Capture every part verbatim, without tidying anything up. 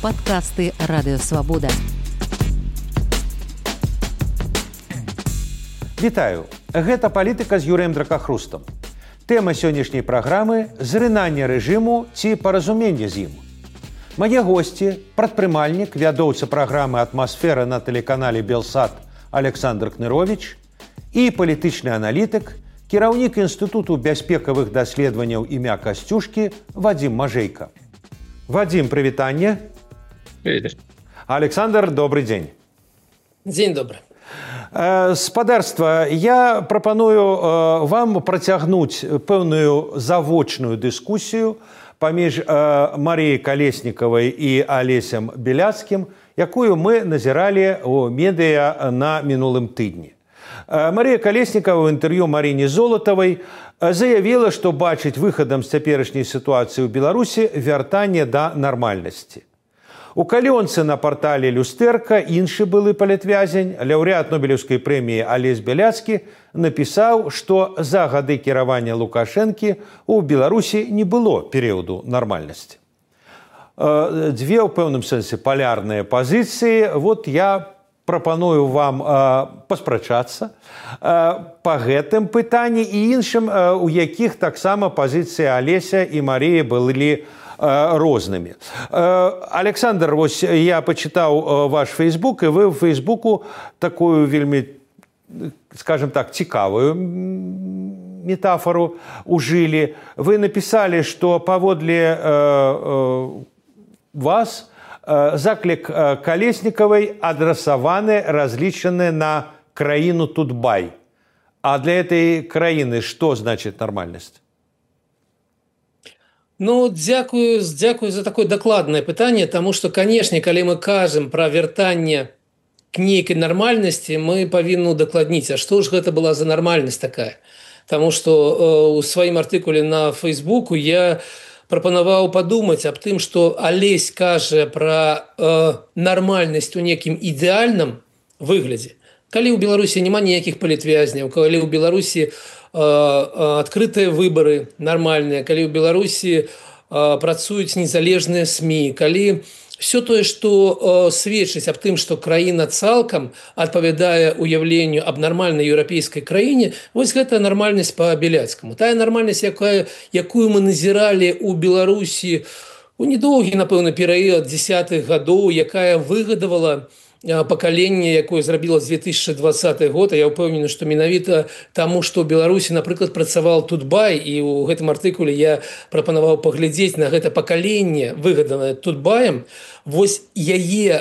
Падкасты Радыёвабода. Вітаю. Гэта палітыка з Юрыем Дракахрустам. Тэма сённяшняй праграмы – зрынанне рэжыму ці паразуменне з ім. Мае госці – прадпрымальнік, вядоўца праграмы «Атмасфера» на тэлеканале «Белсат» Александр Кнырович і палітычны аналітык, кіраўнік Інстытуту бяспекавых даследаванняў імя Касцюшкі Вадзім Мажэйка. Вадзім, прывітанне. Привет. Александр, добрый дзень. Дзень добры. Спадарства, я прапаную вам працягнуць пэўную завочную дыскусію паміж Марыяй Калеснікавай і Алесем Беляцкім, якую мы назіралі ў медыа на мінулым тыдні. Марыя Калеснікава ў інтэрв'ю Марыне Золатавай заявіла, што бачыць выхадам з цяперашняй сітуацыі ў Беларусі вяртанне да нармальнасці. У калёнцы на партале «Люстэрка» іншы былы палітвязень, лаўрэат Нобелеўскай прэміі Алесь Беляцкі, напісаў, што за гады кіравання Лукашэнкі ў Беларусі не было перыяду нармальнасці. Дзве ў пэўным сэнсе палярныя пазіцыі. Вот я прапаную вам паспрачацца па гэтым пытанні і іншым, у якіх таксама пазіцыі Алеся і Марыі былі рознымі. Александр, вось я пачытаў ваш фейсбук, і вы ў фейсбуку такую вельмі, скажем так, цікавую метафору ужылі. Вы напісалі, што паводле вас заклік Калеснікавай адрасаваны, разлічаны на краіну Тутбай. А для этой краіны што значыць нармальнасць? Ну, дзякую, дзякую за такое дакладнае пытанне, таму што, канешне, калі мы кажам пра вяртанне к нейкай нармальнасці, мы павінны удакладніць, а што ж гэта была за нармальнасць такая? Таму што э, у сваім артыкуле на Фейсбуку я прапанаваў падумаць аб тым, што Алесь кажа пра э, нармальнасць у некім ідэальным выглядзе. Калі ў Беларусі няма ніякіх палітвязняў, калі ў Беларусі адкрытыя выбары нармальныя, калі ў Беларусі працуюць незалежныя СМІ, калі все тое, што сведчыць аб тым, што краіна цалкам адпавядае уяўленню аб нармальнай еўрапейскай краіне, вось гэта нармальнасць па Беляцкаму. Тая нармальнасць, якая, якую мы назіралі ў Беларусі у недоўгі, напэўна, перыяд дзесятых гадоў, якая выгадавала пакаленне, якое зрабіла з две тысячы двадцаты год, а я ўпэўнены, што менавіта таму, што ў Беларусі, напрыклад, працаваў Тутбай, і ў гэтым артыкуле я прапанаваў паглядзець на гэта пакаленне, выгаданае Тутбаем, вось яе,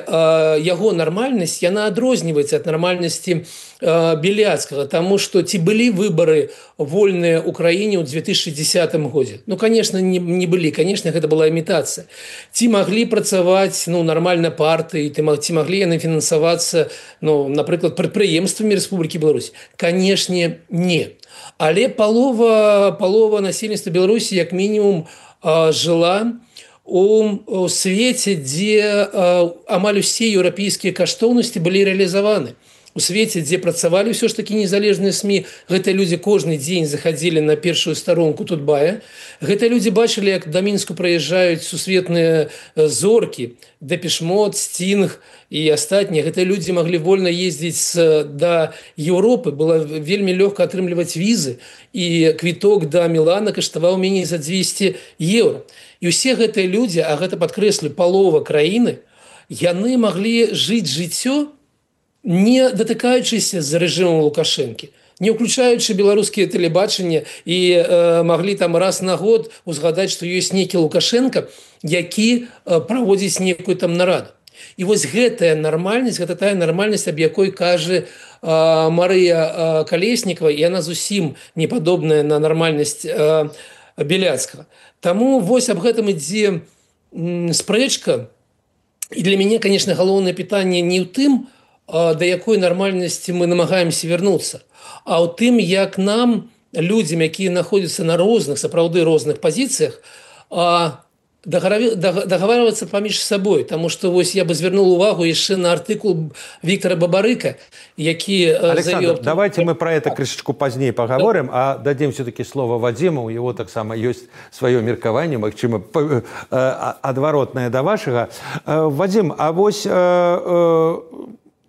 яго нармальнасць, яна адрозніваецца ад нармальнасці Беляцкага, таму што ці былі выбары вольныя ў краіне ў две тысячы дзесятым годзе? Ну, конечно, не, не былі, конечно, гэта была імітацыя. Ці маглі працаваць, ну, нармальна партыі, ці маглі яны фінансавацца, ну, напрыклад, прадпрыемствамі Рэспублікі Беларусь? Канешне, не. Але палова, палова насельніцтва Беларусі, як мінімум, жыла у свеце, дзе амаль усе еўрапейскія каштоўнасці былі рэалізаваны. У свеце, дзе працавалі ўсё ж такі незалежныя СМІ, гэтыя людзі кожны дзень захадзілі на першую старонку Тутбая. Гэтыя людзі бачылі, як да Мінску прыязджаюць сусветныя зоркі, Депеш Мод, Стінг і астатнія. Гэтыя людзі маглі вольна ездзіць да Еўропы, было вельмі лёгка атрымліваць візы, і квіток да Мілана каштаваў меней за дзвесце еўра. І ўсе гэтыя людзі, а гэта падкрэслю, палова краіны, яны маглі жыць жыццё, не датыкаючыся з рэжымам Лукашэнкі, не ўключаючы беларускія тэлебачанне і э, маглі там раз на год узгадаць, што ёсць нейкі Лукашенко, які э, праводзіць некую там нараду. І вось гэтая нармальнасць, гэта тая нармальнасць, аб якой кажа э, Марыя э, Калеснікава, і яна зусім не падобная на нармальнасць э, Беляцкага. Таму вось аб гэтым ідзе м, спрэчка. І для мяне, конечно, галоўнае пытанне не ў тым, да якой нармальнасці мы намагаемся вярнуцца, а ў тым, як нам, людзям, якія знаходзяцца на розных, сапраўды розных пазіцыях, дагаварвацца паміж сабой, таму што вось я бы звярнуў увагу яшчэ на артыкул Віктора Бабарыка, які Александр, заявил... давайте мы про это крышечку позднее поговорим, да. А дадим все-таки слово Вадиму, у него так само есть свое меркование, магчыма адваротнае да вашага. Вадим, а вось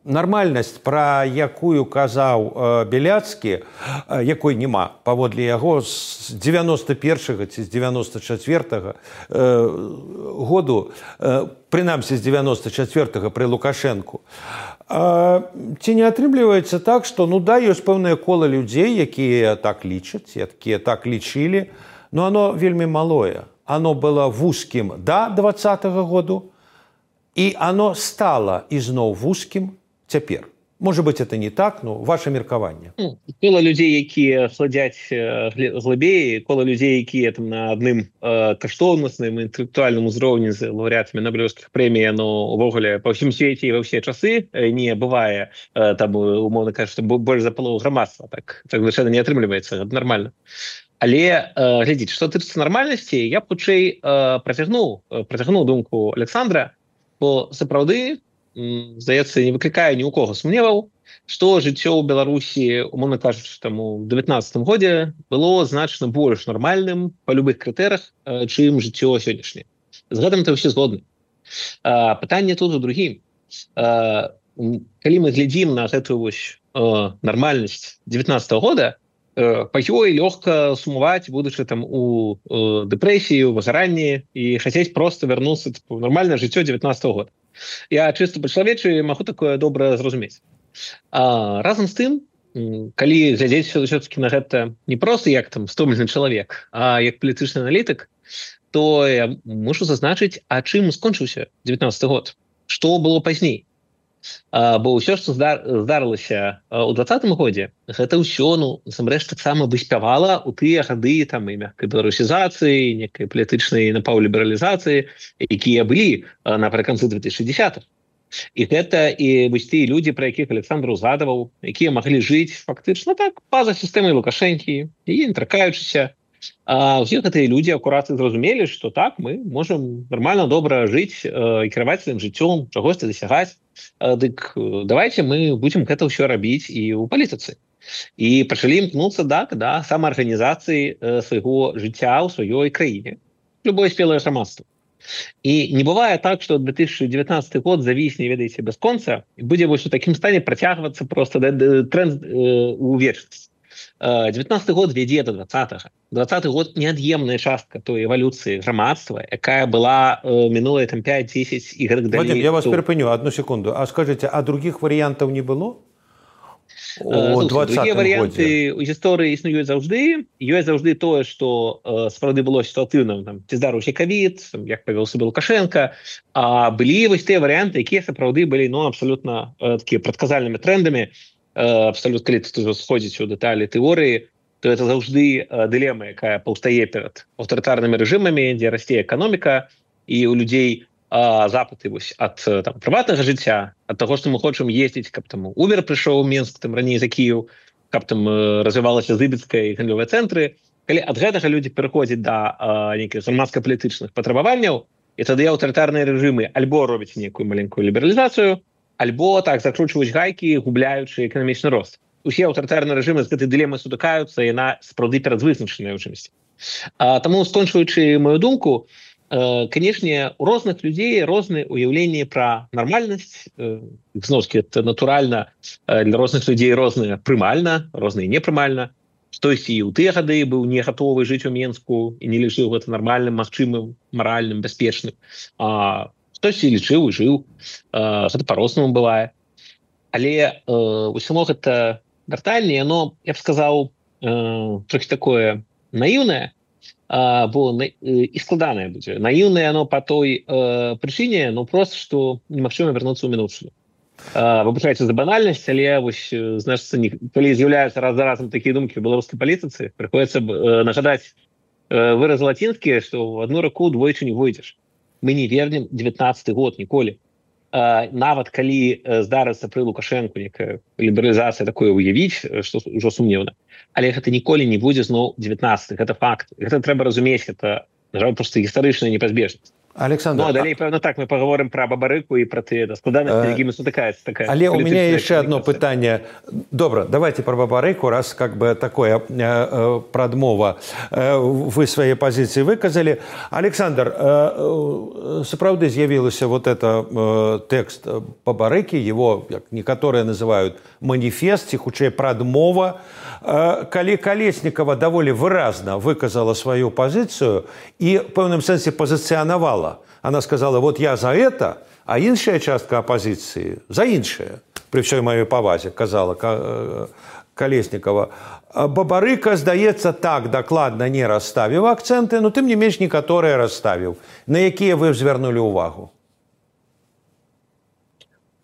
нармальнасць, пра якую казаў Беляцкі, якой няма, паводле яго з дзевяноста першага ці з дзевяноста чацвёртага году, прынамсі з дзевяноста чацвёртага пры Лукашэнку. Ці не атрымліваецца так, што ну да, ёсць пэўнае кола людзей, якія так лічаць, якія так лічылі, но оно вельмі малое. Оно было вузкім да двадцатага году, і оно стало ізноў вузкім цяпер. Можа быць, это не так, но ваше меркаванне. Ну, кола людзей, якія хладзяць глыбей, кола людзей, якія там на адным э, каштоўнасным інтэлектуальным узроўні з лаўрэатамі Нобелеўскіх прэмій, но увогуле па ўсім свеце і ва ўсе часы не бывае, э, там, умоўна кажучы, больш за палову грамадства. Так, так звычайна не атрымліваецца, гэта нармальна. Але, э, глядзіце, што тычыцца нармальнасці, я б хутчэй э, працягнуў, працягнуў думку Александра, бо сапраўды, здаецца, не выклікае ні ў кого сумневаў, што жыццё ў Беларусі, умоўна кажучы, там у девятнаццатым годзе было значна больш нармальным па любых крытэрах, чым жыццё сённяшняе. З гэтым-то ўсе згодны. Пытанне тут у другім. Калі мы глядзім на гэтую вось нармальнасць девятнаццатага года, па ёй лёгка сумаваць, будучы там у дэпрэсіі, у выгаранні і хацець проста вярнуцца ў нармальнае жыццё девятнаццатага года. Я чыста па-чалавечы магу такое добра зразумець. А, разам з тым, калі глядзець все-таки на гэта не проста як там стомлены чалавек, а як палітычны аналітык, то я мушу зазначыць, а чым скончыўся девятнаццаты год? Што было пазней? А, бо ўсё, што здарылася ў двадцатым годзе, гэта ўсё, ну, насамрэч, таксама выспявала ў тыя гады там і мяккай беларусізацыі, некай палітычнай напаўлібералізацыі, якія былі напрыканцы две тысячи десятых. І гэта і вось тыя людзі, пра якіх Александр узгадаваў, якія маглі жыць фактычна так па-за сістэмай Лукашэнкі і не тракаючыся. А ўсе гэтыя людзі акурат зразумелі, што так, мы можам нармальна добра жыць і кіраваць сваім жыццём, чагосьці дасягаць. Дык давайте мы будзем гэта ўсё рабіць і ў палітыцы. І пачалі імкнуцца так, да самаарганізацыі свайго жыцця ў сваёй краіне. Любое спелае грамадства. І не бывае так, што две тысячи девятнадцатый год завісне, ведаеце, без конца, і будзе вось у такім стане працягвацца проста тренд у вечнасць. девятнадцатый год вядзе до двадцатага. двадцаты год неад'емная частка той эвалюцыі грамадства, якая была э, минулыя там пять-десять і гэтак далей. Вадим, я вас перапыню одну секунду. А скажите, а других варыянтаў не было? У другія варыянты у гісторыі існуюць заўжды. Ёсць заўжды тое, што э, сапраўды было сітуатыўным, там, ці здарыўся ковід, як павёў сябе Лукашенко, а былі вось тыя варыянты, якія сапраўды былі ну, абсалютна э, такія прадказальнымі трендамі. Абсолютно, калі тут уже сходзіць у дэталі тэорыі, то это заўжды дылема, якая паўстае перад аўтарытарнымі рэжымамі, дзе расце эканоміка, і у людзей а, запыты вось ад там прыватнага жыцця, ад таго, што мы хочам ездзіць, каб там Uber прыйшоў у Мінск, там раней за Кіеў, каб там развівалася Зыбіцкая і гандлёвыя цэнтры. Калі ад гэтага людзі пераходзяць да нейкіх грамадска-палітычных патрабаванняў, і тады аўтарытарныя рэжымы альбо робяць нейкую маленькую лібералізацыю, альбо так закручваюць гайкі, губляючы эканамічны рост. Усе аўтарытарныя рэжымы з гэтай дылемай сутыкаюцца, і яна сапраўды перадвызначаная ў чымсьці. Таму, скончваючы маю думку, э, канешне, у розных людзей розныя ўяўленні пра нармальнасць. Э, зноўкі, это натуральна, э, для розных людзей розныя прымальна, розныя непрымальна. Хтосьці і ў тыя гады быў не гатовы жыць у Менску і не лічыў гэта нармальным, магчымым, маральным, бяспечным. А хтось і лічыў і жыў, гэта па-рознаму бывае. Але усё гэта вяртанне, яно, я б сказаў, трохі такое наіўнае, бо і складанае будзе. Наіўнае яно па той прычыне, ну проста, што немагчыма вярнуцца ў мінуўшчыну. Выбачайце за банальнасць, але вось, значыцца, калі з'яўляюцца раз за разам такія думкі ў беларускай палітыцы, прыходзіцца нагадаць выраз лацінскі, што ў адну раку двойчы не войдзеш. Мы не вернем девятнадцаты год ніколі. А, нават калі здарыцца пры Лукашэнку некая лібералізацыя такое уявіць, што ўжо сумнеўна. Але гэта ніколі не будзе зноў девятнадцаты. Гэта факт. Гэта трэба разумець, гэта на жаль, просто гістарычная непазбежнасць. Александр, ну, а далей, певно, так, мы поговорим про бабарыку и про те складанности, якими сутыкается такая. Але у меня еще одно питание. Добро, давайте про бабарыку, раз как бы такое э, прадмова э, вы свои позиции выказали. Александр, э, сапраўды з'явился вот это э, текст бабарыки, его, как некоторые называют, манифест, ці хутчэй прадмова. Э, калі Колесникова довольно выразно выказала свою позицию и в пэўным сэнсе позиционовала. Она сказала, вот я за это, а іншая частка оппозиции за іншае. При всей моей повазе, казала Колесникова. Бабарыка, здаецца, так докладно не расставіў акценты, но тым не менш некаторыя расставіў. На якія вы звярнулі увагу?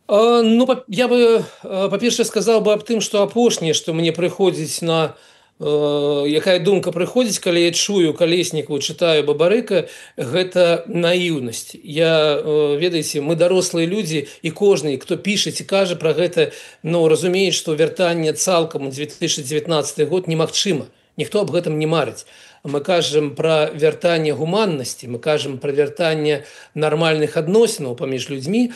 Ну, я бы, по-перше, сказал бы об тым, что апошняе, что мне прыходзіць на якая думка прыходзіць, калі я чую Колесникова, чытаю бабарыка, гэта наіўнасць. Я, ведаеце, мы дарослыя людзі, і кожны, хто піша ці кажа пра гэта, ну, разумеюць, што вяртанне цалкам у две тысячи девятнадцатый год немагчыма. Ніхто аб гэтым не марыць. Мы кажам пра вяртанне гуманнасці, мы кажам пра вяртанне нармальных адносінаў паміж людзьмі.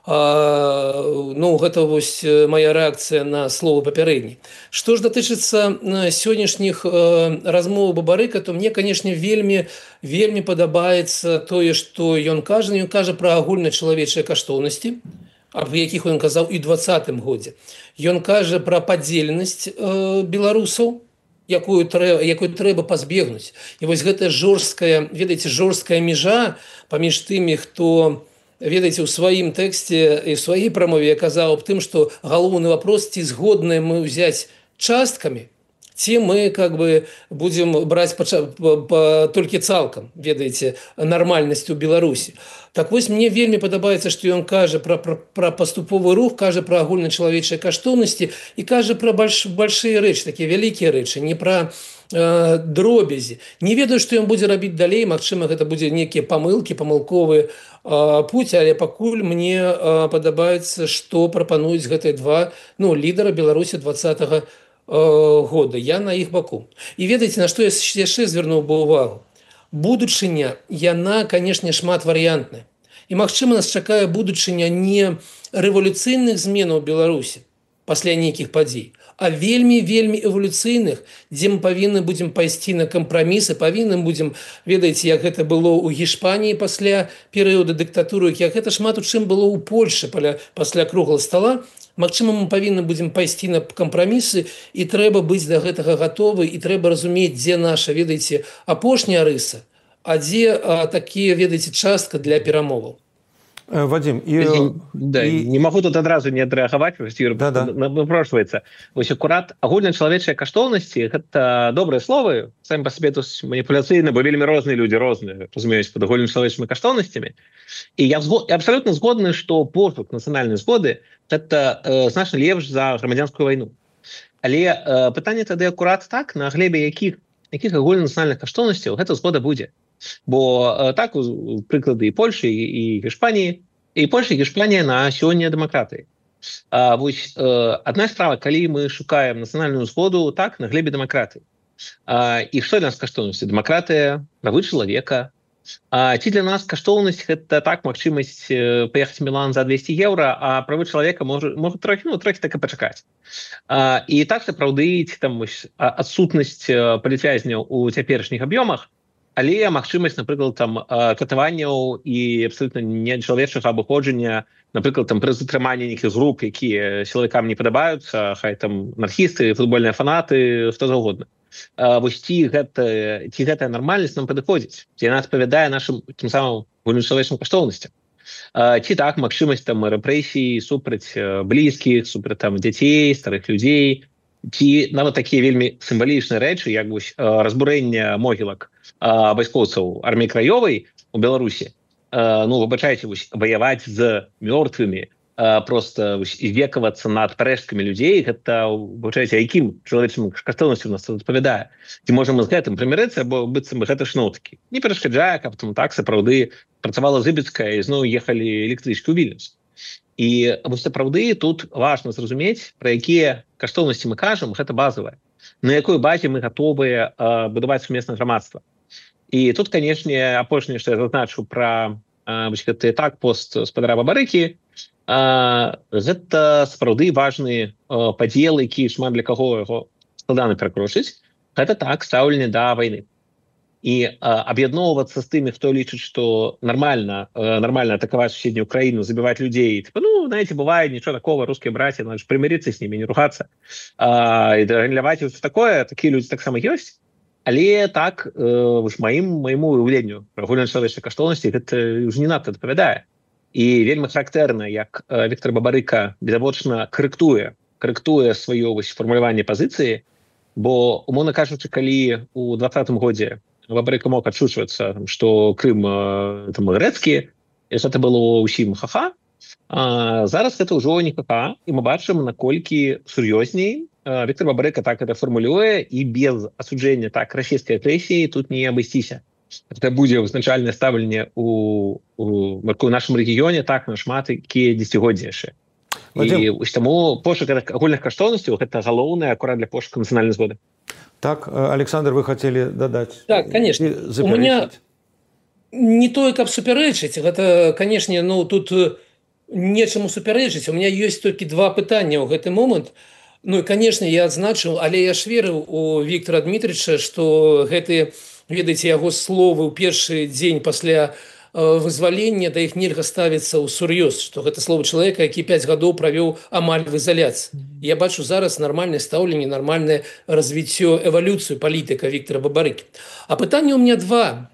А, ну, гэта вось моя рэакцыя на слово папярэдні. Што ж датычыцца сённяшніх э, размоў бабарыка, то мне, канешне, вельмі вельмі падабаецца тое, што ён кажа, ён кажа пра агульначалавечыя каштоўнасці, аб якіх ён казаў і ў двадцатым годзе. Ён кажа пра падзеленасць э, беларусаў, якую трэба, якую трэба пазбегнуць. І вось гэта жорсткая, ведаеце, жорсткая мяжа паміж тымі, хто, ведаеце, у сваім тэксце і ў сваёй прамове я казаў аб тым, што галоўны вопрос, ці згодныя мы ўзяць часткамі, ці мы как бы будзем браць па, па, па, толькі цалкам, ведаеце, нармальнасць у Беларусі. Так вось мне вельмі падабаецца, што ён кажа пра, пра, пра паступовы рух, кажа пра агульначалавечыя каштоўнасці і кажа пра больш, большыя рэчы, такія вялікія рэчы, не пра э, дробязі. Не ведаю, што ён будзе рабіць далей, магчыма, гэта будзе нейкія памылкі, памылковыя э, путь, але пакуль мне э, падабаецца, што прапануюць гэтыя два, ну, лідара Беларусі двадцатага года. Я на іх баку. І ведаеце, на што я яшчэ звярнуў бы увагу? Будучыня, яна, канешне, шматварыянтная. І, магчыма, нас чакае будучыня не рэвалюцыйных зменаў у Беларусі пасля нейкіх падзей, а вельмі-вельмі эвалюцыйных, дзе мы павінны будзем пайсці на кампрамісы, павінны будзем, ведаеце, як гэта было ў Гішпаніі пасля перыяду дыктатуры, як гэта шмат у чым было ў Польшы пасля круглага стала. Магчыма, мы павінны будзем пайсці на кампрамісы, і трэба быць да гэтага гатовы, і трэба разумець, дзе наша, ведаеце, апошняя рыса, а дзе а, такія, ведаеце, частка для перамоваў. Вадим, і... да, і... не магу тут адразу не адрэагаваць, да, да. напрошваецца. Вось акурат агульначалавечыя каштоўнасці, гэта добрыя словы, самі па сабе тут маніпуляцыйна, бо вельмі розныя людзі розныя, разумеюць, пад агульначалавечымі каштоўнасцямі. І я, згод... я абсалютна згодны, што пошук нацыянальнай згоды гэта э, значна лепш за грамадзянскую вайну. Але э, пытанне тады акурат так, на глебе якіх, якіх агульнанацыянальных каштоўнасцяў гэта згода будзе. Бо э, так, у прыклады і Польшы, і, і Гішпаніі, і Польша, і Гішпанія на сёння дэмакратыі. А, вось, э, адна справа, калі мы шукаем нацыянальную згоду, так, на глебе дэмакратыі. А, і што для нас каштоўнасці? Дэмакратыя, правы чалавека. А ці для нас каштоўнасць гэта так, магчымасць паехаць в Мілан за двести еўра, а правы чалавека можа, можа трохі, ну, трохі так і пачакаць. А, і так сапраўды там адсутнасць палітвязняў у цяперашніх аб'ёмах, але магчымасць, напрыклад, там катаванняў і абсалютна нечалавечага абыходжання, напрыклад, там пры затрыманні нейкіх груп, якія сілавікам не падабаюцца, хай там анархісты, футбольныя фанаты, хто заўгодна. Uh, вось ці гэта, ці гэтая нармальнасць нам падыходзіць, ці яна адпавядае нашым тым самым агульначалавечым каштоўнасцям. Uh, ці так, магчымасць там рэпрэсій супраць uh, блізкіх, супраць там дзяцей, старых людзей, ці нават такія вельмі сімвалічныя рэчы, як вось uh, разбурэнне могілак uh, вайскоўцаў арміі краёвай у Беларусі. Uh, ну, выбачайце, вось ваяваць з мёртвымі, Uh, просто векавацца над парэшткамі людзей, гэта, выбачайце, якім чалавечым каштоўнасцям у нас адпавядае. Ці можам мы з гэтым прымірыцца, бо быццам гэта шноўткі. Не перашкаджае, каб там так сапраўды працавала Зыбіцкая і зноў ехалі электрычкі ў Вільнюс. І вось сапраўды тут важна зразумець, пра якія каштоўнасці мы кажам, гэта базавае. На якой базе мы гатовыя uh, будаваць сумеснае грамадства. І тут, канешне, апошняе, што я зазначу пра гэты так пост спадара Бабарыкі, гэта сапраўды важны падзел, які шмат для каго яго складана перакручыць. Гэта так стаўленне да вайны. І аб'ядноўвацца з тымі, хто лічыць, што нормально, нормально атаковать соседнюю Украину, забивать людей. Типа, ну, знаете, бывает, ничего такого, русские братья, надо же примириться с ними, не ругаться. А, и гандляваць вот такое, такие люди так само есть. Але так, э, маім, майму уявленню пра агульначалавечнай каштоўнасці гэта ўжо не надта адпавядае. І вельмі характэрна, як э, Віктор Бабарыка відавочна карэктуе, карэктуе сваё вось фармуляванне пазіцыі, бо, умоўна кажучы, калі у двадцатым годзе Бабарыка мог адшучвацца, што Крым э, там грэцкі, і гэта было ўсім ха-ха, а зараз гэта ўжо не ха-ха, і мы бачым, наколькі сур'ёзней Віктор Бабарыка так это формулюе, і без асуджэння так расійскай агрэсіі тут не абысціся. Гэта будзе вызначальнае стаўленне у, у, у нашым рэгіёне так на шмат якія дзесяцігоддзі яшчэ. І вось таму пошук агульных каштоўнасцяў гэта галоўнае акурат для пошуку нацыянальнай згоды. Так, Александр, вы хотели дадаць? Так, конечно. У меня не тое, каб супярэчыць, гэта, канешне, ну тут нечаму супярэчыць. У меня ёсць толькі два пытання ў гэты момант. Ну і, канешне, я адзначыў, але я ж верыў у Віктора Дмітрыча, што гэты, ведаеце, яго словы ў першы дзень пасля вызвалення, да іх нельга ставіцца ў сур'ёз, што гэта слово чалавека, які пяць гадоў правёў амаль в изоляцыі. Я бачу зараз нармальнае стаўленне, нармальнае развіццё, эвалюцыю палітыка Віктора Бабарыкі. А пытанне у меня два.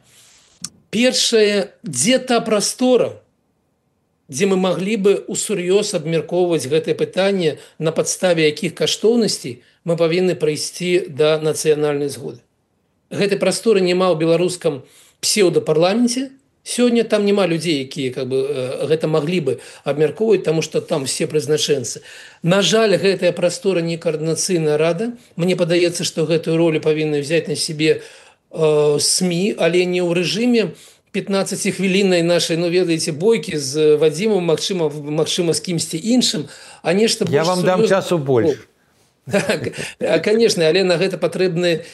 Першае, дзе та прастора, дзе мы маглі бы усур'ёз абмяркоўваць гэтае пытанне, на падставе якіх каштоўнасцей мы павінны прыйсці да нацыянальнай згоды. Гэтай прасторы няма ў беларускам псеўдапарламенце. Сёння там няма людзей, якія как бы, гэта маглі бы абмяркоўваць, таму што там все прызначэнцы. На жаль, гэтая прастора не каардынацыйная рада. Мне падаецца, што гэтую ролю павінны взяць на сябе э, СМІ, але не ў рэжыме пятнаццацігвіліннай нашай, ну, ведаеце, бойкі з Вадзімом, магчыма, магчыма з кімсьці іншым, а нешта больш... Я вам дам часу больш. Так, конечно, але на гэта патрэбны,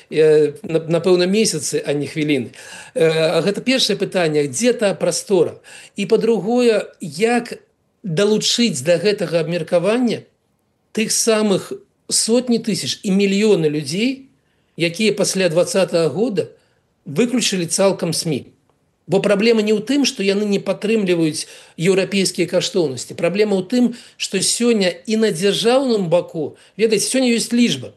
напэўна, месяцы, а не хвіліны. Гэта першае пытанне, дзе та прастора? І, па-другое, як далучыць да гэтага абмеркавання тых самых сотні тысяч і мільёны людзей, якія пасля двадцатага года выключылі цалкам СМІ. Бо праблема не ў тым, што яны не падтрымліваюць еўрапейскія каштоўнасці. Праблема ў тым, што сёння і на дзяржаўным баку, ведаеце, сёння ёсць лічба.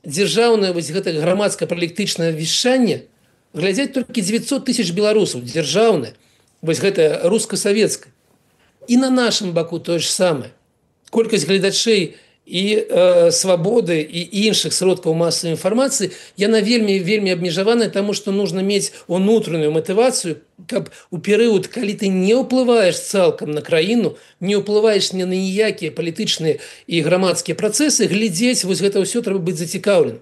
Дзяржаўнае вось гэта грамадска-палітычнае вяшчанне глядзяць толькі дзевяцьсот тысяч беларусаў, дзяржаўнае, вось гэта руска-савецкае. І на нашым баку тое ж самае. Колькасць гледачэй і э, свабоды і іншых сродкаў масавай інфармацыі, яна вельмі вельмі абмежаваная, таму што нужна мець унутраную матывацыю, каб у перыяд, калі ты не ўплываеш цалкам на краіну, не ўплываеш ні на ніякія палітычныя і грамадскія працэсы, глядзець, вось гэта ўсё трэба быць зацікаўленым.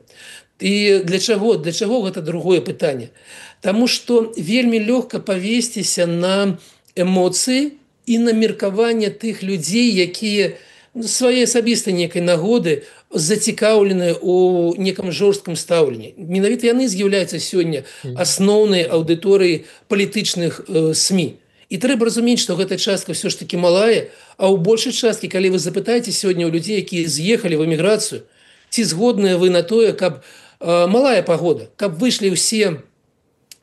І для чаго? Для чаго гэта другое пытанне? Таму што вельмі лёгка павесціся на эмоцыі і на меркаванне тых людзей, якія свае асабістай нейкай нагоды зацікаўленыя ў некам жорсткім стаўленні. Менавіта яны з'яўляюцца сёння асноўнай аўдыторыяй палітычных э, СМІ. І трэба разумець, што гэта частка ўсё ж такі малая, а ў большай часткі, калі вы запытаеце сёння ў людзей, якія з'ехалі в эміграцыю, ці згодныя вы на тое, каб э, малая пагода, каб выйшлі ўсе,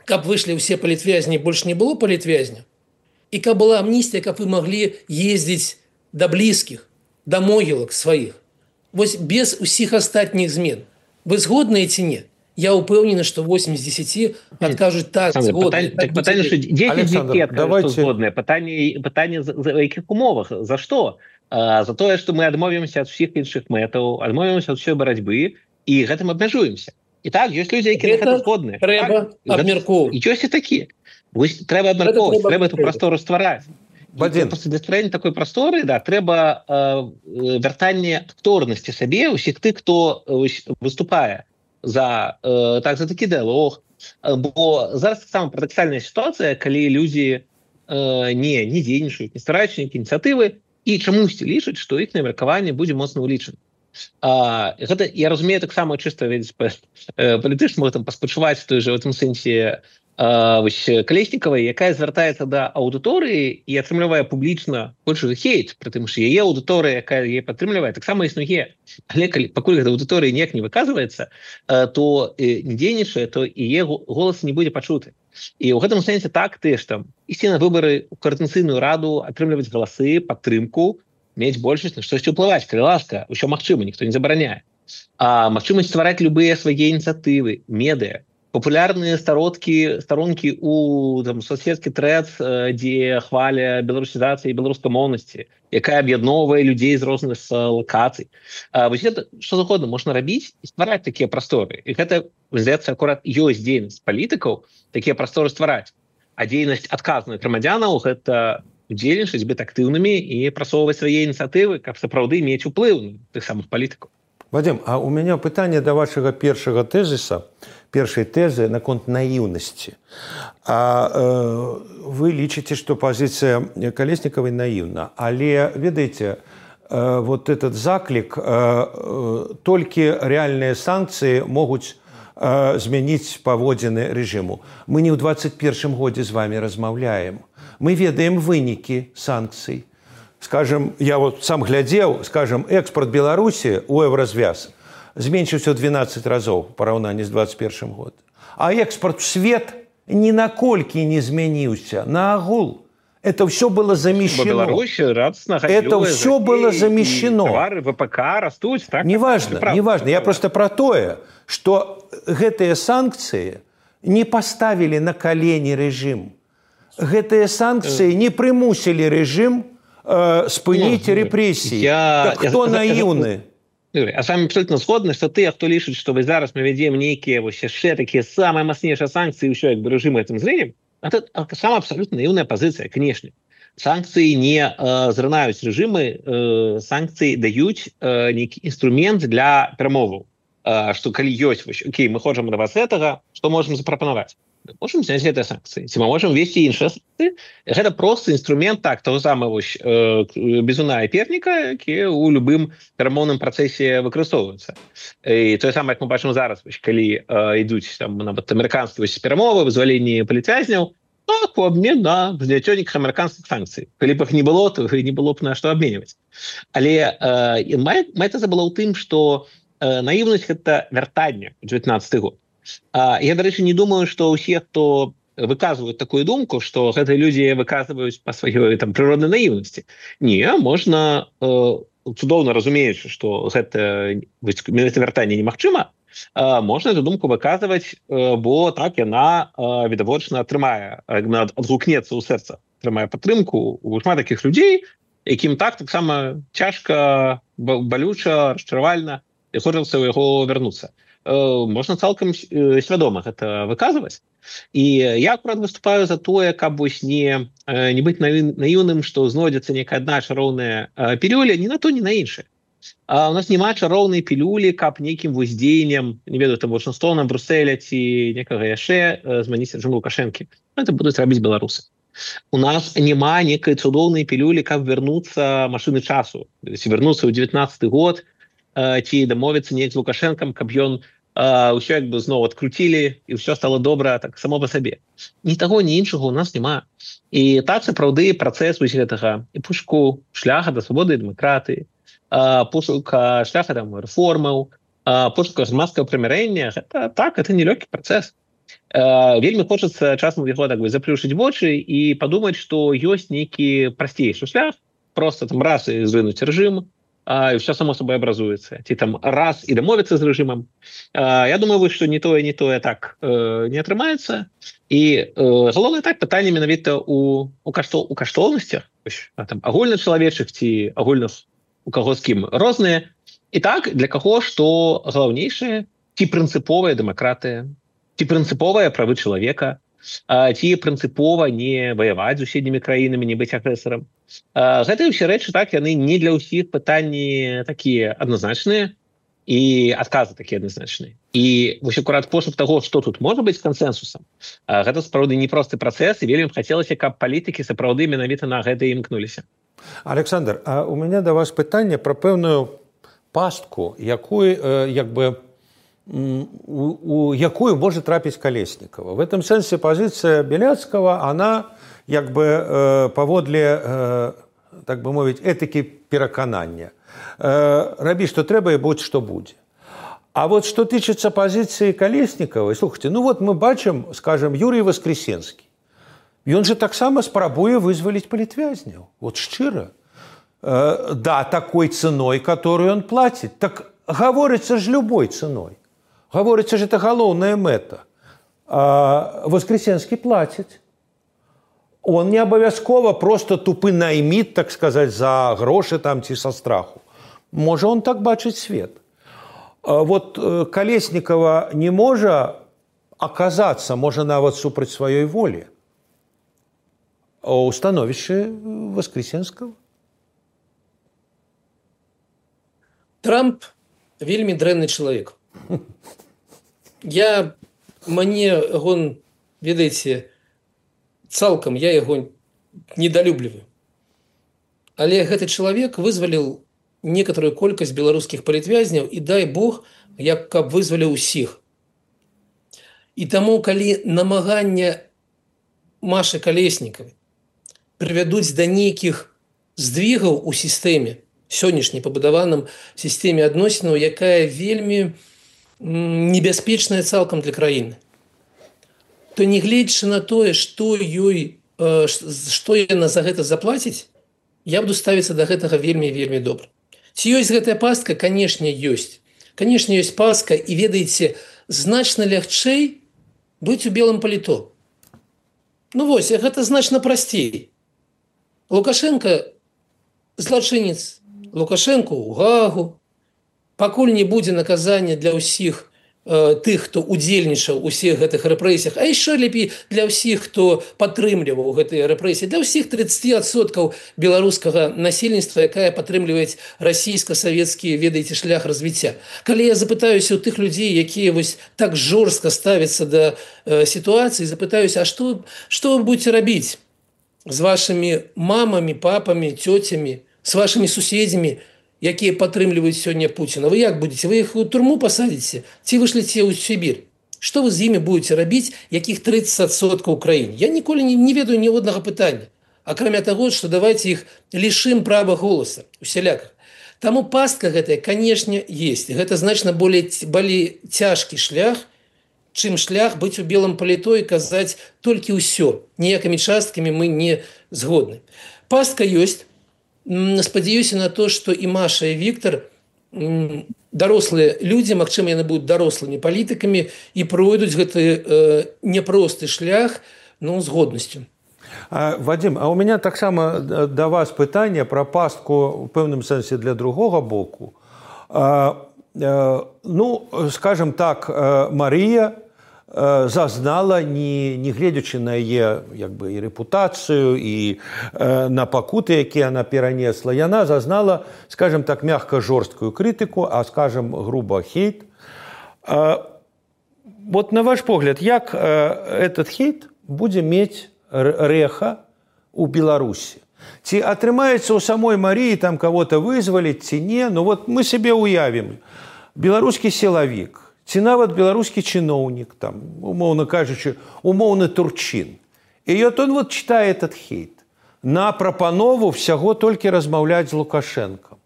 каб выйшлі ўсе палітвязні, больш не было палітвязня, і каб была амністыя, каб вы маглі ездзіць да блізкіх, да могілак сваіх. Вось без усіх астатніх змен. Вы згодныя ці не? Я ўпэўнены, што восемь з дзесяці адкажуць так, згодны. Так, пытанне, што дзесяць з дзесяці адкажуць, што згодныя. Пытанне, пытанне за, за якіх умовах? За што? А, за тое, што мы адмовімся ад усіх іншых мэтаў, адмовімся ад усёй барацьбы і гэтым абмяжуемся. І так, ёсць людзі, якія на гэта згодныя. Трэба абмяркоўваць. І ёсць і такія. Вось трэба абмяркоўваць, трэба эту прастору ствараць. Для стварэння такой прасторы, да, трэба э, вяртанне акторнасці сабе ўсіх тых, хто э, выступае за, э, так, за такі дыалог. Бо зараз таксама парадаксальная сітуацыя, калі людзі э, не, не дзейнічаюць, не стараюцца нейкія ініцыятывы і чамусьці лічаць, што іх меркаванне будзе моцна ўлічана. Гэта, я разумею таксама чыста палітычна там паспачуваць той же в этом сэнсе Калеснікавай, якая звяртаецца да аўдыторыі і атрымлівае публічна большы хейт, прытым што яе аўдыторыя, якая яе падтрымлівае, таксама існуе. Але пакуль гэта аўдыторыя ніяк не выказваецца, то не дзейнічае, то яе голас не будзе пачуты. І ў гэтым сэнсе так ты ж там ісці на выбары ў каардынацыйную раду, атрымліваць галасы, падтрымку, мець большасць на штосьці ўплываць, калі ласка, ўсё магчыма, ніхто не забараняе. А магчымасць ствараць любыя свае ініцыятывы, медыа, папулярныя старонкі, старонкі у там, соцсеткі Threads, дзе хваля беларусізацыі і беларускамоўнасці, якая аб'ядноўвае людзей з розных лакацый. А, вось гэта, што загодна можна рабіць і ствараць такія прасторы. І гэта, здаецца, акурат ёсць дзейнасць палітыкаў такія прасторы ствараць. А дзейнасць адказных грамадзянаў гэта удзельнічаць, быць актыўнымі і прасоўваць свае ініцыятывы, каб сапраўды мець уплыў на тых самых палітыкаў. Вадим, а у меня пытанне да вашага першага тэзіса, першай тэзы наконт наіўнасці. А э, вы лічыце, што пазіцыя Калеснікавай наіўна, але ведаеце, э, вот этот заклік, э, э, толькі рэальныя санкцыі могуць э, змяніць паводзіны рэжыму. Мы не ў двадцать першым годзе з вами размаўляем. Мы ведаем вынікі санкцый. Скажем, я вот сам глядзеў, скажем, экспорт Беларусі у еўразвяз зменшыўся ў двенадцать разоў у параўнанні з двадцать першым годам. А экспорт в свет ні на колькі не змяніўся. На агул. Это все было замещено. Это все было замещено. Товары ВПК растут, так? Неважно, неважно. Я просто про тое, что гэтыя санкцыі не поставили на колени режим. Гэтыя санкцыі не прымусілі рэжым спыніць рэпрэсіі. Я... Так хто наіўны? А с вами абсолютно згодны, што тыя, хто лічыць, што вось зараз мы вядзем нейкія вось яшчэ такія самыя мацнейшыя санкцыі, ўсё як бы рэжым гэтым зленем, это сама абсолютно наіўная пазіцыя, канешне. Санкцыі не э, зрынаюць рэжымы, э, санкцыі даюць э, нейкі інструмент для перамоваў. Э, што калі ёсць, вось, окей, мы хочам да вас гэтага, што можам запрапанаваць? Можем зняць гэтыя санкцыі. Ці мы можам весці іншыя санкцыі? Гэта проста інструмент так, таго самага э, бізуна і перніка, які ў любым перамоўным працэсе выкарыстоўваюцца. І тое самае, як мы бачым зараз, вось, калі э, ідуць там, нават амерыканскія перамовы, вызваленні палітвязняў, так, у абмен на зняццё нейкіх амерыканскіх санкцый. Калі б іх не было, то не было б на што абменьваць. Але э, мэта была ў тым, што э, наіўнасць гэта вяртанне ў дзевятнаццаты год. Я, дарэчы, не думаю, што ўсе, хто выказваюць такую думку, што гэтыя людзі выказваюць па сваёй там прыроднай наіўнасці. Не, можна, э, цудоўна разумеючы, што гэта вяртанне немагчыма, э, можна эту думку выказваць, э, бо так яна э, відавочна атрымае, адгукнецца ў сэрца, атрымае падтрымку у шмат такіх людзей, якім так таксама цяжка, балюча, расчаравальна, і хочацца ў яго вярнуцца. Можна цалкам свядома гэта выказваць. І я акурат выступаю за тое, каб вось не, не быць наіўным, што знойдзецца некая адна чароўная пілюля, ні на то, ні на іншае. А у нас няма чароўнай пілюлі, каб нейкім вось дзеяннем, не ведаю, там Вашынгтона, Брюсселя ці некага яшчэ змяніць рэжым Лукашэнкі. Гэта будуць рабіць беларусы. У нас няма некай цудоўнай пілюлі, каб вярнуцца машыны часу. Вярнуцца ў дзевятнаццаты год, ці дамовіцца неяк з Лукашэнкам, каб ён ўсё як бы зноў адкруцілі і ўсё стало добра так само па сабе. Ні таго, ні іншага у нас няма. І так сапраўды працэс вось гэтага і пошуку шляха да свабоды і дэмакратыі, пошука шляха там рэформаў, пошука грамадскага прымірэння, гэта так, это нелёгкі працэс. Вельмі хочацца часам яго так бы заплюшыць вочы і падумаць, што ёсць нейкі прасцейшы шлях, проста там раз і звынуць рэжым, і ўсё само собой абразуецца. Ці там раз і дамовіцца з рэжымам. Я думаю, што не тое, не тое так не атрымаецца. І галоўнае так, пытанне менавіта у, у, каштол, у каштоўнасцях, там, агульначалавечых ці агульных у каго з кім розныя. І так, для каго што галоўнейшае, ці прынцыповая дэмакратыя, ці прынцыповыя правы чалавека, ці прынцыпова не ваяваць з суседнімі краінамі, не быць агрэсарам. Гэтыя ўсе рэчы, так, яны не для ўсіх пытанні такія адназначныя і адказы такія адназначныя. І вось акурат пошук таго, што тут можа быць кансэнсусам, гэта сапраўды непросты працэс, і вельмі хацелася, каб палітыкі сапраўды менавіта на гэта імкнуліся. Александр, а у мяне да вас пытанне пра пэўную пастку, якую, як бы, у, у якую может трапить Колесникова. В этом сенсе позиция Беляцкого, она як бы паводле, так бы мовить, этики пераканання. Рабі, что трэба, и будь что будет. А вот что тычыцца позиции Колесниковой, слушайте, ну вот мы бачым, скажем, Юрий Воскресенский. Ён же таксама спрабуе вызваліць палітвязняў. Вот шчыра. Э, да, такой ценой, которую он платит. Так говорится же любой ценой. Говорится же, это галоўная мэта. А Воскресенский платит. Он не абавязкова просто тупы наймит, так сказать, за гроши там ці со страху. Можа он так бачыць свет. А вот Колесникова не можа оказаться, можа нават супраць сваёй волі, у становішчы Воскресенского. Трамп вельмі дрэнны чалавек. Я, мне он, ведаеце, цалкам я яго недалюбліваю. Але гэты чалавек вызваліў некаторую колькасць беларускіх палітвязняў і дай Бог, як каб вызваліў усіх. І таму, калі намагання Машы Колеснікавай прывядуць да нейкіх здвігаў у сістэме, сённяшняй пабудаваным сістэме адносінаў, якая вельмі небяспечная цалкам для краіны, то не гледзячы на тое, што ёй, што яна за гэта заплаціць, я буду ставіцца да гэтага вельмі-вельмі добра. Ці ёсць гэтая пастка? Канешне, ёсць. Канешне, ёсць пастка, і ведаеце, значна лягчэй быць у белым паліто. Ну вось, гэта значна прасцей. Лукашенко злачынец, Лукашенко ў Гаагу, пакуль не будзе наказання для ўсіх э, тых, хто удзельнічаў у ўсіх гэтых рэпрэсіях, а яшчэ лепей для ўсіх, хто падтрымліваў гэтыя рэпрэсіі, для ўсіх тридцать адсоткаў беларускага насельніцтва, якая падтрымліваюць расійска-савецкі, ведаеце, шлях развіцця. Калі я запытаюся ў тых людзей, якія вось так жорстка ставяцца да э, сітуацыі, запытаюся, а што, што вы будете рабіць з вашымі мамамі, папамі, цёцямі, з вашымі суседзямі, якія падтрымліваюць сёння Пуціна? Вы як будзеце? Вы іх у турму пасадзіце? Ці вышліце ў Сібір? Што вы з імі будете рабіць, якіх тридцать адсоткаў краін? Я ніколі не, не ведаю ні однага пытання, акрамя таго, што давайте іх лішым права голаса усяляках. Таму пастка гэтая, канешне, есть. Гэта значна болей, болей цяжкі шлях, чым шлях быць у белым паліто і казаць толькі ўсё. Ніякімі часткамі мы не згодны. Пастка ёсць. Спадзяюся на то, што і Маша, і Віктор, дарослыя людзі, магчыма, яны будуць дарослымі палітыкамі і пройдуць гэты э, няпросты шлях, ну, з годнасцю. А, Вадим, а у меня таксама да вас пытанне пра пастку ў пэўным сэнсе для другога боку. А, а, ну, скажем так, Марія зазнала, не, не гледзячы на яе як бы, і рэпутацыю, і э, на пакуты, якія она перанесла, яна зазнала, скажем так, мягка жорсткую крытыку, а скажем груба хейт. А, вот на ваш погляд, як э, этот хейт будзе мець рэха у Беларусі? Ці атрымаецца ў самой Маріі там кого-то вызваліць, ці не? Ну вот мы себе уявім. Беларускі сілавік, ці нават беларускі чыноўнік, там, умоўна кажучы, умоўны турчын. І вот он вот читае этот хейт на прапанову всяго толькі размаўляць з Лукашенком.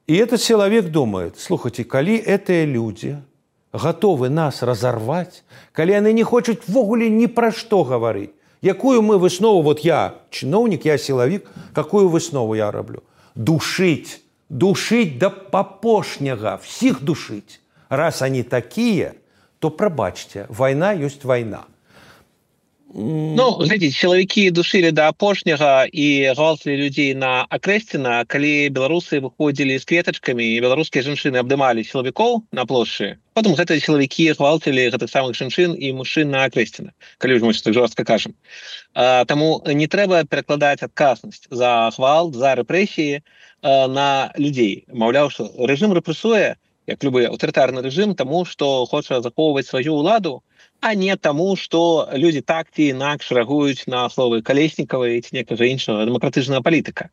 И этот человек думает, слушайте, калі этыя люди готовы нас разорвать, калі яны не хочуць ввогуле ні пра што гаварыць, якую мы выснову, вот я чыноўнік, я сілавік, какую выснову я раблю? Душить, душить до апошняга, всіх душить. Раз они такие, то пробачьте, война есть война. Ну, глядзіце, сілавікі душылі да апошняга і гвалтылі людзей на Акрэсціна, калі беларусы выходзілі з кветачкамі і беларускія жанчыны абдымалі сілавікоў на плошчы. Потым гэтыя сілавікі гвалтылі гэтых самых жанчын і мужчын на Акрэсціна, калі ўжо мы так жорстка кажам. А, таму не трэба перакладаць адказнасць за гвалт, за рэпрэсіі а, на людзей. Маўляў, што рэжым рэпрэсуе, як любы аўтарытарны рэжым, таму, што хоча захоўваць сваю ўладу, а не таму, што людзі так ці інакш рэагуюць на словы Колеснікавай ці некага іншага дэмакратычнага палітыка.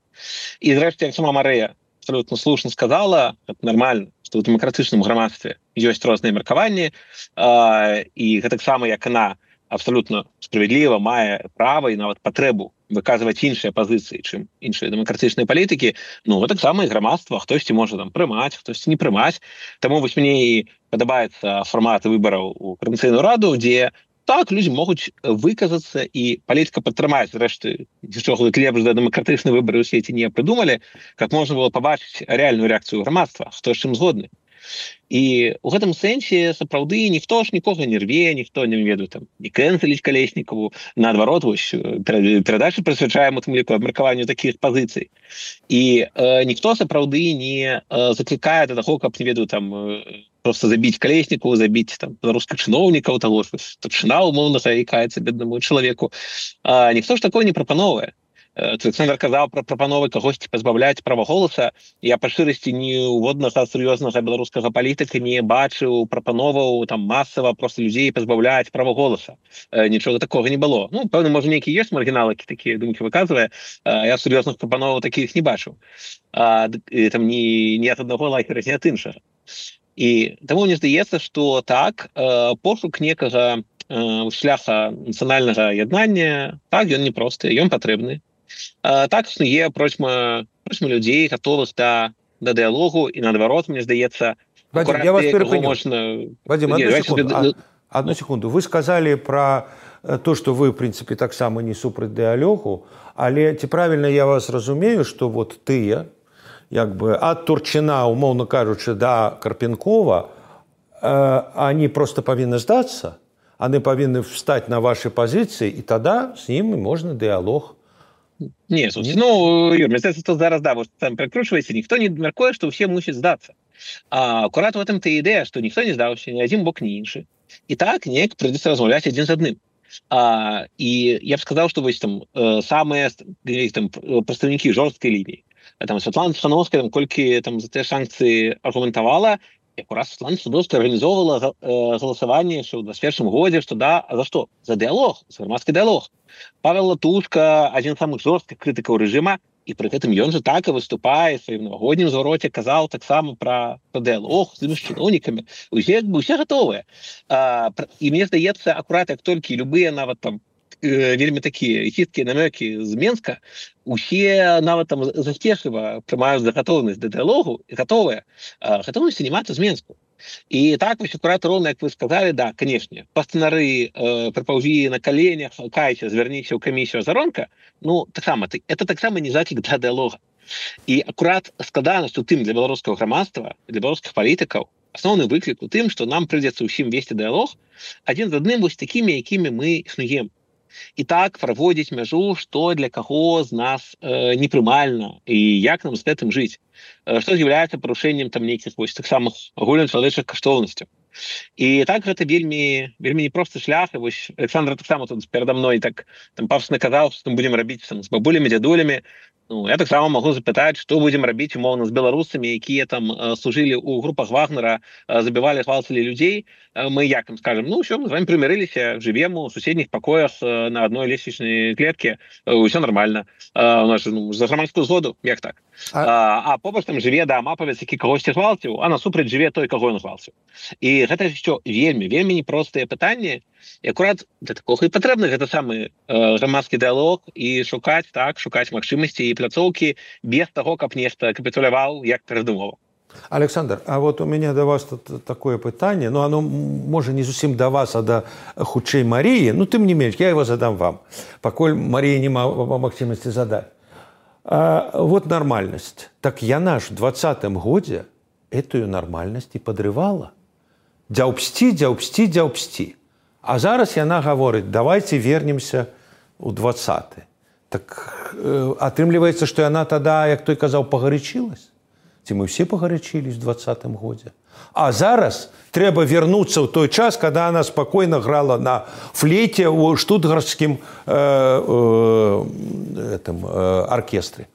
І зрэшты, як сама Марыя абсолютно слушно сказала, это нормально, что в демократычным грамадстве ёсць розныя меркаванні, і гэтаксама як яна абсолютно справядліва мае права і нават патрэбу выказваць іншыя пазіцыі, чым іншыя дэмакратычныя палітыкі, ну гэтаксама і грамадства, хтосьці можа там прымаць, хтосьці не прымаць. Таму вось мне і падабаецца фармат выбараў у Коордынацыйную раду, дзе так людзі могуць выказацца і палітыка падтрымаць. Зрэшты, нічога лепш за дэмакратычныя выбары ў свеце не прыдумалі, каб можна было пабачыць рэальную рэакцыю грамадства, хто з чым згодны. І у гэтым сэнсе сапраўды ніхто ж нікога не рве, ніхто не ведаю там не кэнцеліць Калеснікаву, наадварот, вось перадачы прысвячаем у тым ліку абмеркаванню такіх пазіцый. І э, ніхто сапраўды не э, заклікае да таго, каб не ведаю там э, просто забіць Калеснікаву, забіць там беларускіх чыноўнікаў, таго ж старшына умоўна заікаецца беднаму чалавеку. А, ніхто ж такое не прапановвае. Александр казаў пра прапановы кагосьці пазбаўляць права голаса. Я па шчырасці ніводнага сур'ёзнага беларускага палітыка не бачыў прапановаў там масава проста людзей пазбаўляць права голаса. Нічога такога не было. Ну, пэўна, можа, нейкі ёсць маргіналы, які такія думкі выказвае. Я сур'ёзных прапановаў такіх не бачыў. А, там ні, ні ад аднаго лайкера, ні ад іншага. І таму мне здаецца, што так, пошук некага шляха нацыянальнага яднання, так, ён непросты, ён патрэбны. А, так існуе процьма людзей, гатовых да, да дыялогу, і наадварот, мне здаецца, Вадим, я вас перепыню. Можна... Вадим, одну, Не, секунду. себе... А, одну секунду. Вы сказали про то, что вы, в принципе, так само не супраць дыялогу, але ці правильно я вас разумею, что вот тыя, як бы ад Турчына, умоўно кажучы, да Карпенкова, э, они просто павінны здацца, они павінны встать на ваши позиции, и тогда с ними можно дыялог. Не, слушайте, ну, Юр, мне кажется, что зараз, да, вы там прикручиваете, никто не меркуе, что все мусят сдаться. А аккурат в этом-то и идея, что никто не сдался, ни один бок, ни інший. И так неяк придется размовлять один с одним. А, и я бы сказал, что вот там самые там, представники жесткой линии, там Святлана Тихановская, там, кольки там за те санкции аргументовала, и аккурат Святлана Тихановская организовывала голосование, что в двадцать первом году, что да, а за что? За диалог, за громадский диалог. Павел Латушка, один из самых жестких критиков режима, и при этом он же так и выступает в своем новогоднем звороте, казал так само про, про диалог с чиновниками. Все, все готовы. А, и мне здаецца, аккурат, как только любые нават там э, вельмі такие хиткие намеки из Минска, усе нават там заспешливо прымаюць за готовность до диалогу и готовые. А, готовы сниматься из Минску. І так, вось акурат роўна, як вы сказали, да, канешне, пастынары э, прапаўзі на каленях, кайце, звярніся ў камісію Азаронка, ну, таксама, это таксама не заклік да дыялога. І акурат складанасць у тым для беларускага грамадства, для беларускіх палітыкаў, асноўны выклік у тым, што нам прыйдзецца ўсім весці дыялог адзін з адным вось такімі, якімі мы існуем. І так праводзіць мяжу, што для каго з нас э, непрымальна і як нам з гэтым жыць, э, што з'яўляецца парушэннем там нейкіх вось тых самых агульначалавечых каштоўнасцяў. І так гэта вельмі вельмі непросты шлях. І вось Александр таксама тут перада мной так там пафосна казаў, што мы будзем рабіць там з бабулямі, дзядулямі. Ну, я таксама могу запытаць, што будзем рабіць умоўна з беларусамі, якія там э, служылі ў групах Вагнера, э, забівалі, гвалталі людзей. Э, мы як им скажем, ну ўсё, мы з вами прымірыліся, жывем у суседніх пакоях э, на адной лесвічнай клетке, э, ўсё нормально. Э, у нас ну, за грамадскую згоду, як так? А, а побач там жыве да амапавец, які кагосьці гвалціў, а насупраць жыве той, каго ён гвалціў. І гэта ўсё вельмі, вельмі непростыя пытанні. І акурат для такога і патрэбны гэта самы э, грамадскі дыялог і шукаць, так, шукаць магчымасці і пляцоўкі без таго, каб нешта капітуляваў, як перадумова. Александр, а вот у меня до вас тут такое пытанне, ну оно может не зусім до вас, а до хутчэй Марии, ну тым не менш, я его задам вам, пакуль Мария не мала магчымасці задать. А, вот нормальность. Так яна ж в двадцатым годзе эту нормальность и подрывала. Дзяўбсці, дзяўбсці, дзяўбсці. А зараз яна гаворыць, давайте вернемся у двадцаты. Так э, атрымліваецца, што яна тада, як той казаў, пагарычылась. Ці мы все пагарычылись в двадцатым годзе. А зараз трэба вернуцца ў той час, когда она спокойно грала на флейте ў штутгарскім э, э, этом, э, оркестре.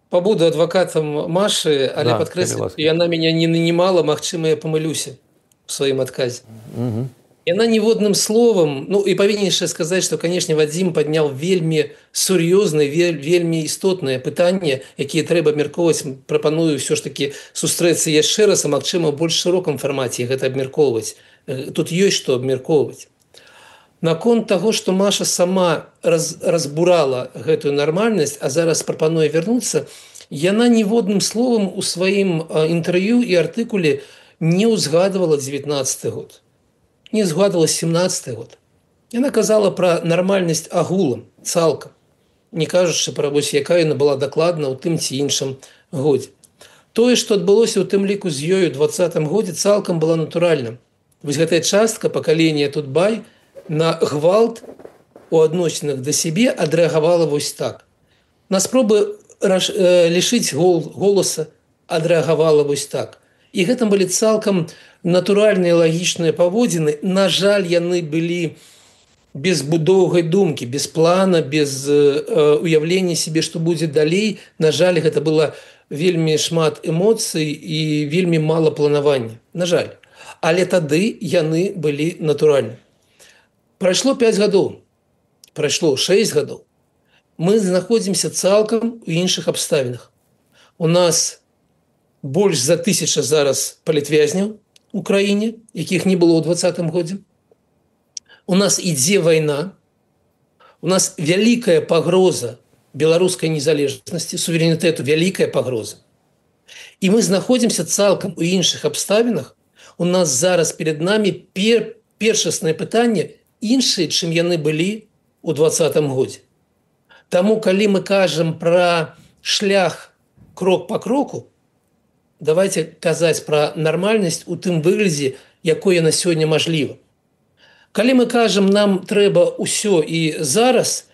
Побуду адвокатам Машы, але да, падкрэслю, яна мяне не нанимала, магчыма, я памылюся в сваім адказе. Угу. Яна ніводным словам, ну і павінен яшчэ сказаць, што канешне Вадзім падняў вельмі сур'ёзныя, вельмі істотныя пытанні, якія трэба абмяркоўваць. Прапаную ўсё ж такі сустрэцца яшчэ раз, а магчыма ў больш шырокім фармаце гэта абмяркоўваць. Тут ёсць што абмяркоўваць. Наконт таго, што Маша сама раз, разбурала гэтую нармальнасць, а зараз прапануе вярнуцца, яна ніводным словам у сваім інтэрв'ю і артыкуле не ўзгадывала дзевятнаццаты год. Не згадывала семнадцаты год. Яна казала пра нармальнасць агулам, цалкам, не кажучы пра вось, якая яна была дакладна ў тым ці іншым годзе. Тое, што адбылося ў тым ліку з ёю ў двадцатым годзе, цалкам была натуральным. Вось гэтая частка пакалення Тутбай на гвалт у адносінах да сябе адрэагавала вось так. На спробы раш... э, лішыць гол... голаса адрэагавала вось так. І гэтым былі цалкам натуральныя лагічныя паводзіны. На жаль, яны былі без будоўгай думкі, без плана, без э, уяўлення сябе, што будзе далей. На жаль, гэта было вельмі шмат эмоцый і вельмі мала планавання. На жаль. Але тады яны былі натуральныя. Прайшло пяць гадоў, прайшло шэсць гадоў. Мы знаходзімся цалкам у іншых абставінах. У нас больш за тысяча зараз палітвязняў у краіне, якіх не было ў двадцатым годзе. У нас ідзе вайна, у нас вялікая пагроза беларускай незалежнасці, суверэнітэту, вялікая пагроза. І мы знаходзімся цалкам у іншых абставінах. У нас зараз перед намі пер, першаснае пытанне іншыя, чым яны былі ў двадцатым годзе. Таму, калі мы кажам пра шлях крок па кроку, давайте казаць пра нармальнасць у тым выглядзе, якое на сёння мажліва. Калі мы кажам, нам трэба ўсё і зараз,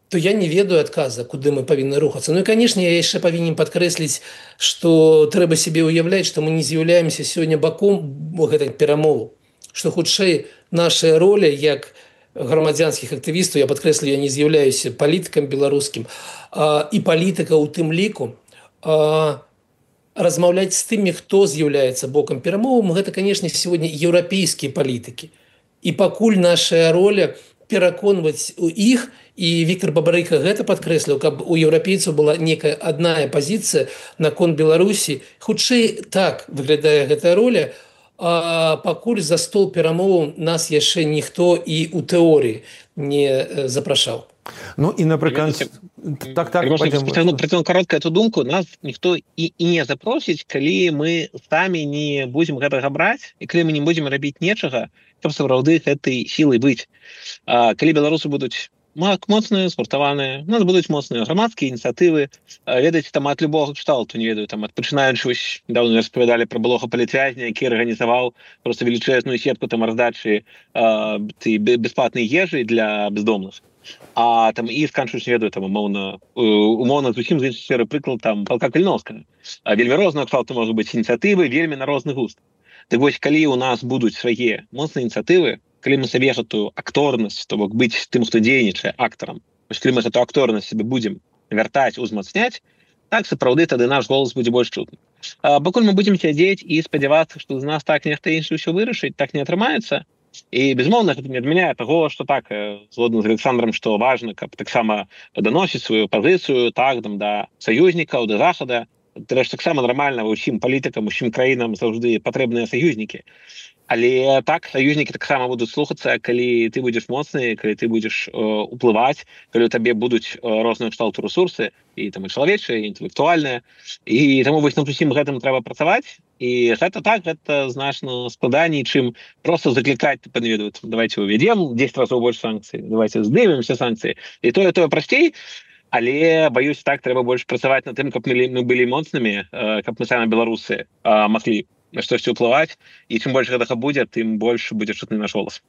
то я не ведаю адказа, куды мы павінны рухацца. Ну і, канешне, я яшчэ павінен падкрэсліць, што трэба сябе ўяўляць, што мы не з'яўляемся сёння баком гэтай перамовы, што хутчэй наша роля як грамадзянскіх актывістаў, я падкрэслю, я не з'яўляюся палітыкам беларускім, а, і палітыка ў тым ліку, а, размаўляць з тымі, хто з'яўляецца бокам перамовам, гэта, канешне, сегодня еўрапейскія палітыкі. І пакуль наша роля пераконваць у іх, і Віктор Бабарыка гэта падкрэсліў, каб у еўрапейцаў была некая адная пазіцыя наконт Беларусі. Хутчэй так выглядае гэтая роля, а пакуль за стол перамоваў нас яшчэ ніхто і ў тэорыі не запрашаў. Ну і напрыканцы так так працягну каротка эту думку, нас ніхто і, і не запросіць, калі мы самі не будзем гэтага браць і калі мы не будзем рабіць нечага, каб сапраўды гэтай сілай быць. А, калі беларусы будуць моцныя, спартаваныя, у нас будуць моцныя грамадскія ініцыятывы, ведаеце, там ад любога кшталту, не ведаю, там ад пачынаючы, вось даўно распавядалі пра былога палітвязня, які арганізаваў просто велічэзную сетку там раздачы бясплатнай ежы для бездомных. А там і сканчваюць, не ведаю, там умоўна, умоўна зусім з іншай сферы прыклад там Палка Каліновскага. Вельмі рознага кшталту можа быць ініцыятывы, вельмі на розны густ. Так вось, калі у нас будуць свае моцныя ініцыятывы, калі мы сабе гэтую акторнасць, то бок быць тым, хто дзейнічае актарам, вось калі мы гэту акторнасць сабе будзем вяртаць, узмацняць, так сапраўды тады наш голас будзе больш чутны. А пакуль мы будзем сядзець і спадзявацца, што з нас так нехта іншы ўсё вырашыць, так не атрымаецца. І, безумоўна, гэта не адмяняе таго, што так, згодна з Александром, што важна, каб таксама даносіць сваю пазіцыю так, там, да саюзнікаў, да захада. Трэш таксама нармальна ўсім палітыкам, усім краінам заўжды патрэбныя саюзнікі. Але так, саюзнікі таксама будуць слухацца, калі ты будзеш моцны, калі ты будзеш э, уплываць, калі у табе будуць э, розныя кшталту ресурсы, і там і чалавечыя, і інтэлектуальныя. І таму вось над усім гэтым трэба працаваць. І гэта так, гэта значна складаней, чым проста заклікаць, не ведаю, давайте уведзем дзесяць разоў больш санкцый, давайте здымемся санкцыі. І тое, тое прасцей, але, баюсь, так, трэба больш працаваць над тым, каб мы, мы былі моцнымі, э, каб мы самі беларусы э, маглі на штосьці ўплываць, і чым больш гэтага будзе, тым больш будзе чутны наш голас.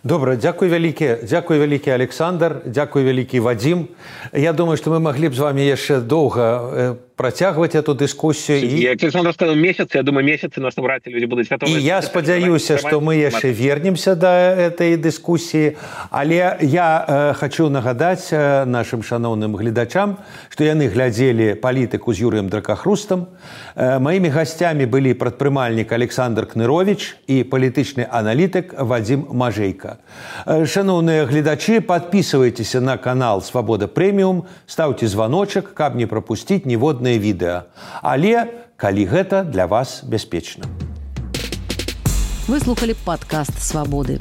Добра, дзякуй вялікі, дзякуй вялікі Александр, дзякуй вялікі Вадзім. Я думаю, што мы маглі б з вами яшчэ доўга працягваць эту дыскусію. І... Як Александр сказаў, месяц, я думаю, месяцы нас набраць, людзі будуць гатовы. І я спадзяюся, што мы яшчэ вернемся да этой дыскусіі, але я э, хачу нагадаць э, нашым шаноўным гледачам, што яны глядзелі палітыку з Юрыем Дракахрустам. Э, маімі гасцямі былі прадпрымальнік Александр Кныровіч і палітычны аналітык Вадзім Мажы. даражэйка. Шановныя гледачы, подписывайтеся на канал «Свабода Прэміум», ставьте звоночек, каб не пропустить ніводнае відэа. Але, калі гэта для вас бяспечна. Вы слухали падкаст «Свабоды».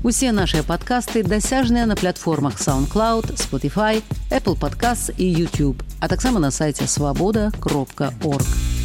Усе нашыя падкасты дасяжныя на платформах SoundCloud, Spotify, Apple Podcasts і YouTube, а таксама на сайце свабода кропка орг.